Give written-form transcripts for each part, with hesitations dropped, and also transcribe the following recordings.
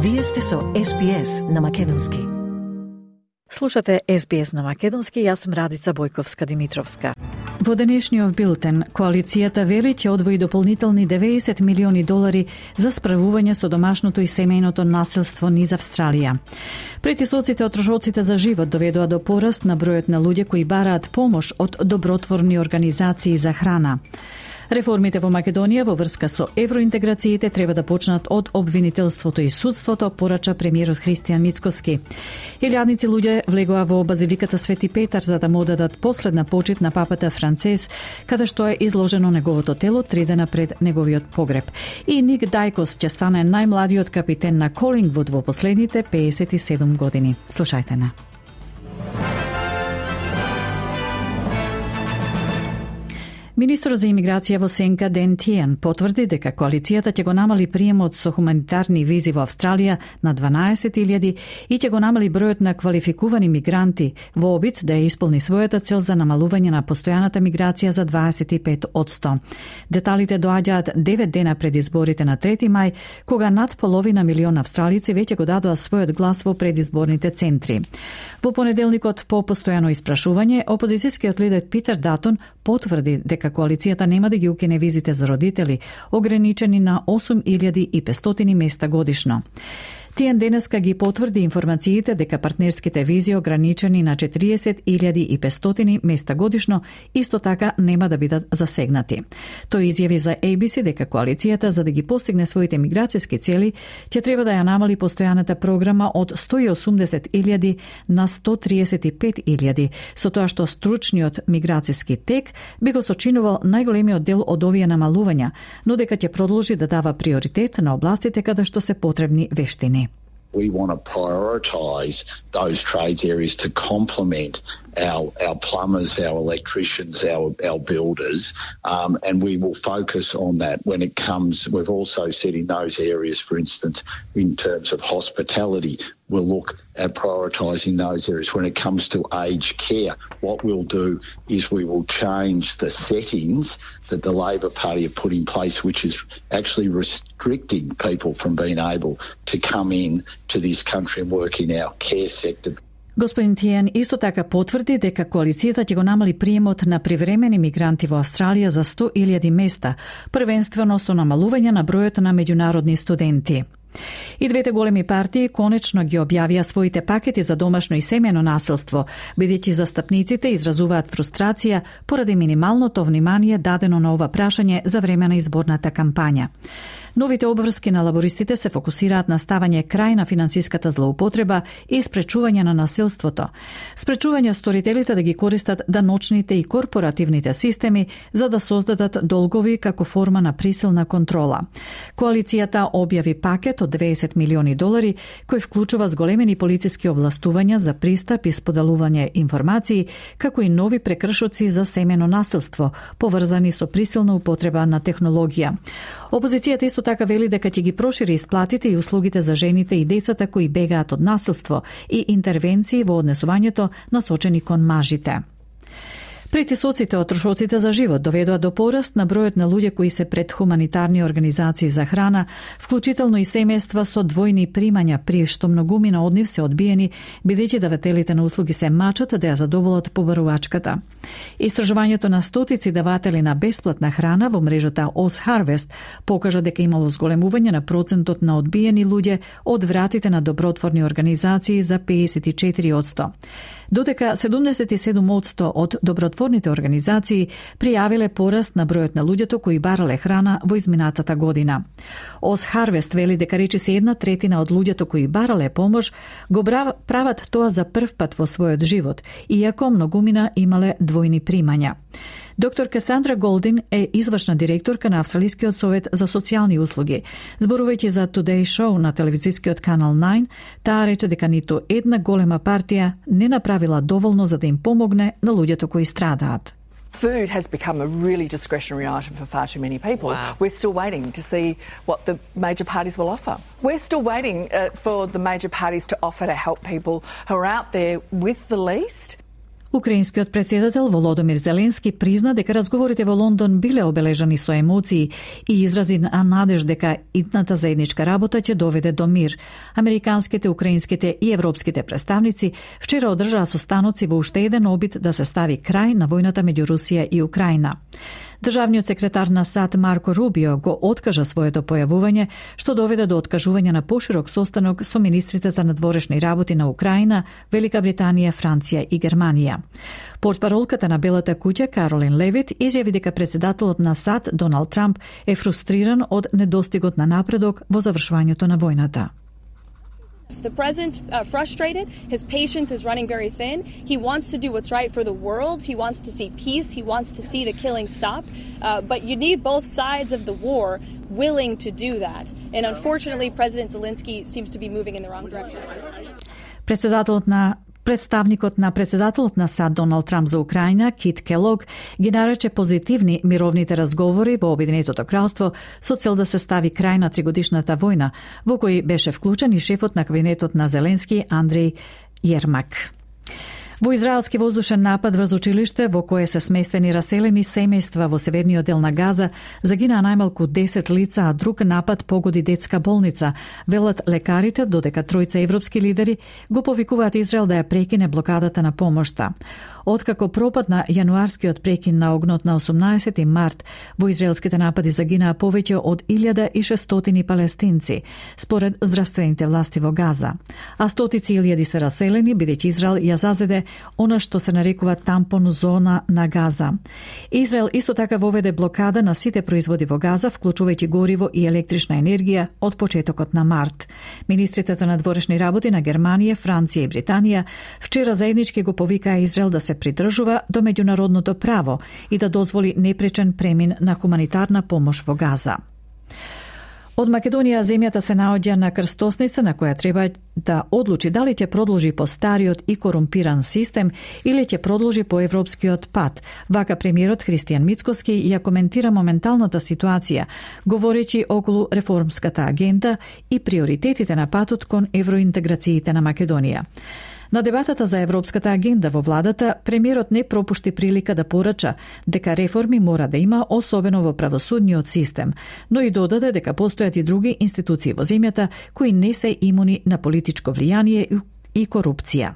Вие сте со SBS на Македонски. Слушате SBS на Македонски, јас сум Радица Бојковска-Димитровска. Во денешниот билтен, коалицијата вели ќе одвои дополнителни $90 милиони за справување со домашното и семејното насилство низ Австралија. Притисоците од трошоците за живот доведоа до пораст на бројот на луѓе кои бараат помош од добротворни организации за храна. Реформите во Македонија во врска со евроинтеграциите треба да почнат од обвинителството и судството, порача премиерот Христијан Мицкоски. Илјадници луѓе влегоа во базиликата Свети Петар за да му одадат последна почит на папата Францис, каде што е изложено неговото тело 3 дена пред неговиот погреб. И Ник Дајкос ќе стане најмладиот капитен на Колингвуд во последните 57 години. Слушајте на. Министрот за имиграција во Сенка Ден Тиен потврди дека коалицијата ќе го намали приемот со хуманитарни визи во Австралија на 12.000 и ќе го намали бројот на квалификувани мигранти во обид да ја исполни својата цел за намалување на постојаната миграција за 25%. Деталите доаѓаат 9 дена пред изборите на 3 мај, кога над половина милион австралици веќе го дадоа својот глас во предизборните центри. Во понеделникот по постојано испрашување, опозицијскиот лидер Питер Датон потврди дека коалицијата нема да ги укине визите за родители, ограничени на 8.500 места годишно. Тиен денеска ги потврди информациите дека партнерските визи ограничени на 40.500 места годишно исто така нема да бидат засегнати. Тој изјави за ABC дека коалицијата за да ги постигне своите миграцијски цели ќе треба да ја намали постојаната програма од 180.000 на 135.000, со тоа што стручниот миграцијски тек би го сочинувал најголемиот дел од овие намалувања, но дека ќе продолжи да дава приоритет на областите каде што се потребни вештини. We want to prioritise those trades areas to complement our plumbers, our electricians, our builders, and we will focus on that when it comes. We've also said in those areas, for instance, in terms of hospitality, we'll look at prioritising those areas. When it comes to aged care, what we'll do is we will change the settings that the Labor Party have put in place, which is actually restricting people from being able to come in to this country and work in our care sector. Господин Тиен исто така потврди дека коалицијата ќе го намали приемот на привремени мигранти во Австралија за 100.000 места, првенствено со намалување на бројот на меѓународни студенти. И двете големи партии конечно ги објавија своите пакети за домашно и семејно насилство, бидејќи застапниците изразуваат фрустрација поради минималното внимание дадено на ова прашање за време на изборната кампања. Новите обврски на лабористите се фокусираат на ставање крај на финансиската злоупотреба и спречување на насилството. Спречување сторителите да ги користат даночните и корпоративните системи за да создадат долгови како форма на присилна контрола. Коалицијата објави пакет од $20 милиони кој вклучува зголемени полициски овластувања за пристап и споделување информации, како и нови прекршоци за семено насилство, поврзани со присилна употреба на технологија. Опозицијата исто така вели дека ќе ги прошири исплатите и услугите за жените и децата кои бегаат од насилство и интервенции во однесувањето насочени кон мажите. Притисоците од трошоците за живот доведоа до пораст на бројот на луѓе кои се пред хуманитарни организации за храна, вклучително и семејства со двојни примања, при што многумина од нив се одбиени, бидејќи давателите на услуги се мачат да ја задоволат побарувачката. Истражувањето на стотици даватели на бесплатна храна во мрежата OzHarvest покажа дека имало зголемување на процентот на одбиени луѓе од вратите на добротворни организации за 54%. Додека 77% од добротворните организации пријавиле пораст на бројот на луѓето кои барале храна во изминатата година. OzHarvest вели дека речиси 1/3 од луѓето кои барале помош го прават тоа за прв пат во својот живот, иако многумина имале двојни примања. Доктор Касандра Голдин е извршна директорка на Австралискиот совет за социјални услуги. Зборувајќи за Today Show на телевизискиот канал 9, таа рече дека ниту една голема партија не направила доволно за да им помогне на луѓето кои страдаат. Food has become a really discretionary item for far too many people. Wow. We're still waiting to see what the major parties will offer. We're still waiting for the major parties to offer to help people who are out there with the least. Украинскиот председател Володомир Зеленски призна дека разговорите во Лондон биле обележани со емоции и изрази надеж дека идната заедничка работа ќе доведе до мир. Американските, украинските и европските представници вчера одржаа состаноци во уште еден обид да се стави крај на војната меѓу Русија и Украина. Државниот секретар на САД Марко Рубио го откажа своето појавување, што доведе до откажување на поширок состанок со министрите за надворешни работи на Украина, Велика Британија, Франција и Германија. Портпаролката на Белата куќа Каролин Левит изјави дека председателот на САД Доналд Трамп е фрустриран од недостигот на напредок во завршувањето на војната. The president's frustrated, his patience is running very thin. He wants to do what's right for the world. He wants to see peace. He wants to see the killing stop. But you need both sides of the war willing to do that. And unfortunately, President Zelensky seems to be moving in the wrong direction. Представникот на председателот на САД Доналд Трамп за Украина, Кит Келог, ги нарече позитивни мировните разговори во Обединетото кралство со цел да се стави крај на тригодишната војна, во кој беше вклучен и шефот на кабинетот на Зеленски Андреј Јермак. Во израелски воздушен напад врз училиште во кое се сместени раселени семејства во северниот дел на Газа загинаа најмалку 10 лица, а друг напад погоди детска болница. Велат лекарите, додека тројца европски лидери го повикуваат Израел да ја прекине блокадата на помошта. Откако пропадна јануарскиот прекин на огнот на 18 март, во израелските напади загинаа повеќе од 1600 палестинци, според здравствените власти во Газа. А стотици илјади се раселени, бидејќи Израел ја зазеде она што се нарекува тампон зона на Газа. Израел исто така воведе блокада на сите производи во Газа, вклучувајќи гориво и електрична енергија од почетокот на март. Министрите за надворешни работи на Германија, Франција и Британија вчера заеднички го повикаа Израел да се придржува до меѓународното право и да дозволи непречен премин на хуманитарна помош во Газа. Од Македонија земјата се наоѓа на крстосница на која треба да одлучи дали ќе продолжи по стариот и корумпиран систем или ќе продолжи по европскиот пат. Вака премиерот Христијан Мицкоски ја коментира моменталната ситуација, говорејќи околу реформската агенда и приоритетите на патот кон евроинтеграциите на Македонија. На дебатата за европската агенда во владата, премиерот не пропушти прилика да порача дека реформи мора да има, особено во правосудниот систем, но и додаде дека постојат и други институции во земјата кои не се имуни на политичко влијание и корупција.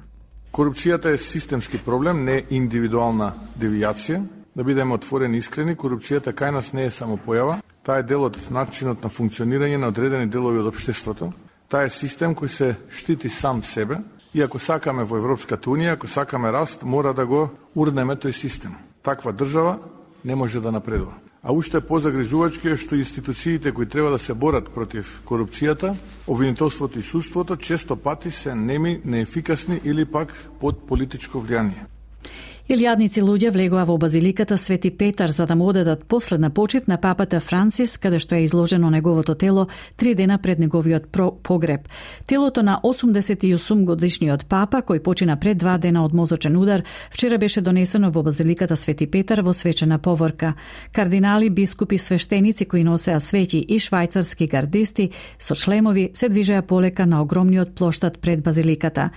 Корупцијата е системски проблем, не индивидуална девијација. Да бидеме отворени и искрени, корупцијата кај нас не е само појава, таа е дел од начинот на функционирање на одредени делови од општеството. Таа е систем кој се штити сам себе. И ако сакаме во Европската Унија, ако сакаме раст, мора да го урнеме тој систем. Таква држава не може да напредува. А уште позагрижувачки е што институциите кои треба да се борат против корупцијата, обвинителството и судството, често пати се неми, неефикасни или пак под политичко влијание. Илјадници луѓе влегоа во базиликата Свети Петар за да му одедат последна почит на папата Францис, каде што е изложено неговото тело 3 дена пред неговиот погреб. Телото на 88 годишниот папа, кој почина пред 2 дена од мозочен удар, вчера беше донесено во базиликата Свети Петар во свечена поворка. Кардинали, бискупи, свештеници кои носеа свеќи и швајцарски гардисти со шлемови се движеа полека на огромниот плоштад пред базиликата.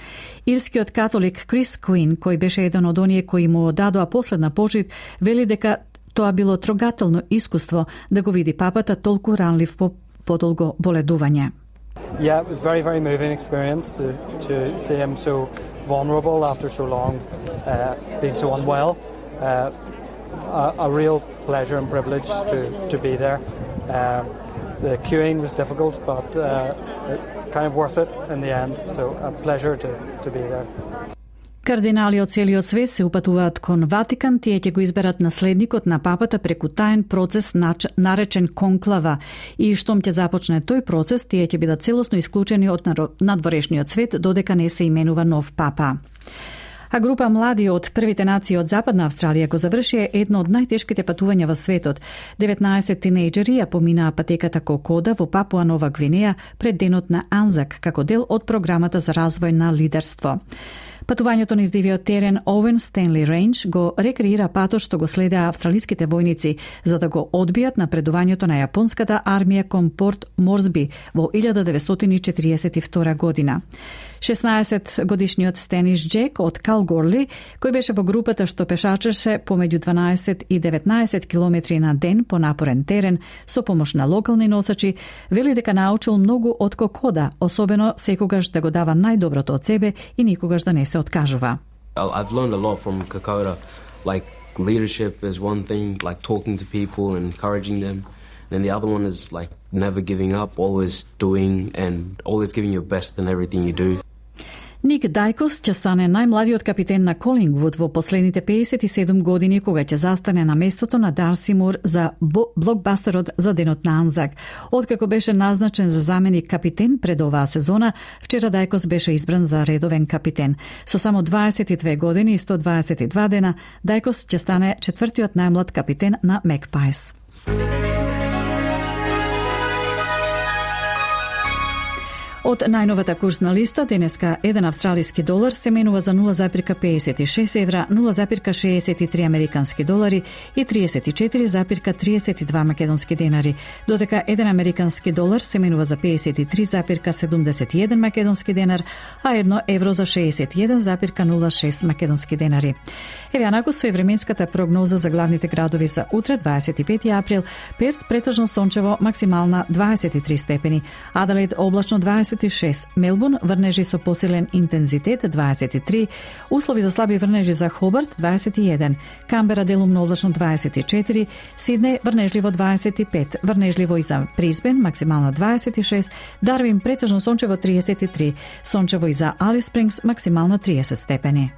Ирскиот католик Крис Куин, кој беше еден од оние кои му дадоа последна почит, вели дека тоа било трогателно искуство да го види папата толку ранлив по подолго боледување. Yeah, it was a very, very moving experience to see him so vulnerable after so long, being so unwell. A real pleasure and privilege to be there. The queuing was difficult, but kind of worth it in the end. So a pleasure to be there. Кардинали од целиот свет се упатуваат кон Ватикан, тие ќе го изберат наследникот на папата преку таен процес наречен конклава и штом ќе започне тој процес, тие ќе бидат целосно исклучени од надворешниот свет додека не се именува нов папа. А група млади од првите нации од Западна Австралија го завршија едно од најтешките патувања во светот. 19 тинејџери ја поминаа патеката Кокода во Папуа Нова Гвинеја пред денот на Анзак како дел од програмата за развој на лидерство. Патувањето низ дивиот терен Оуен Стенли Рейндж го рекреира патот што го следеа австралиските војници за да го одбијат напредувањето на јапонската армија кон Порт Морсби во 1942 година. 16-годишниот Стениш Джек од Калгорли, кој беше во групата што пешачеше помеѓу 12 и 19 километри на ден по напорен терен со помош на локални носачи, вели дека научил многу од Кокода, особено секогаш да го дава најдоброто од себе и никогаш да не се откажува. I've learned a lot from Kokoda, like leadership is one thing, like talking to people and encouraging them. And the other one is like never giving up, always doing and always giving your best in everything you do. Ник Дајкос ќе стане најмладиот капитен на Колингвуд во последните 57 години, кога ќе застане на местото на Дарси Мур за блокбастерот за Денот на Анзак. Откако беше назначен за заменик капитен пред оваа сезона, вчера Дајкос беше избран за редовен капитен. Со само 22 години и 122 дена, Дајкос ќе стане четвртиот најмлад капитен на Макпајс. Од најновата курсна листа, денеска 1 австралиски долар се менува за 0,56 евра, 0,63 американски долари и 34,32 македонски денари, додека 1 американски долар се менува за 53,71 македонски денар, а 1 евро за 61,06 македонски денари. Еве анаку со временската прогноза за главните градови за утре, 25 април: Перт претежно сончево, максимална 23 степени, Аделаид облачно 26, Мелбурн врнежи со посилен интензитет 23, услови за слаби врнежи за Хобарт 21, Камбера делумно облачно 24, Сиднеј врнежливо 25, врнежливо и за Брисбен максимална 26, Дарвин претежно сончево 33, сончево и за Алис Спрингс максимална 30 степени.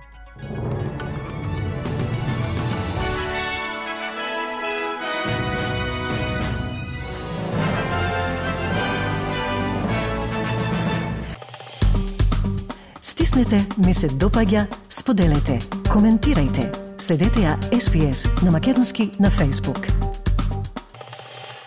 Стиснете, ми се допаѓа, споделете, коментирајте. Следете ја SPS на македонски на Facebook.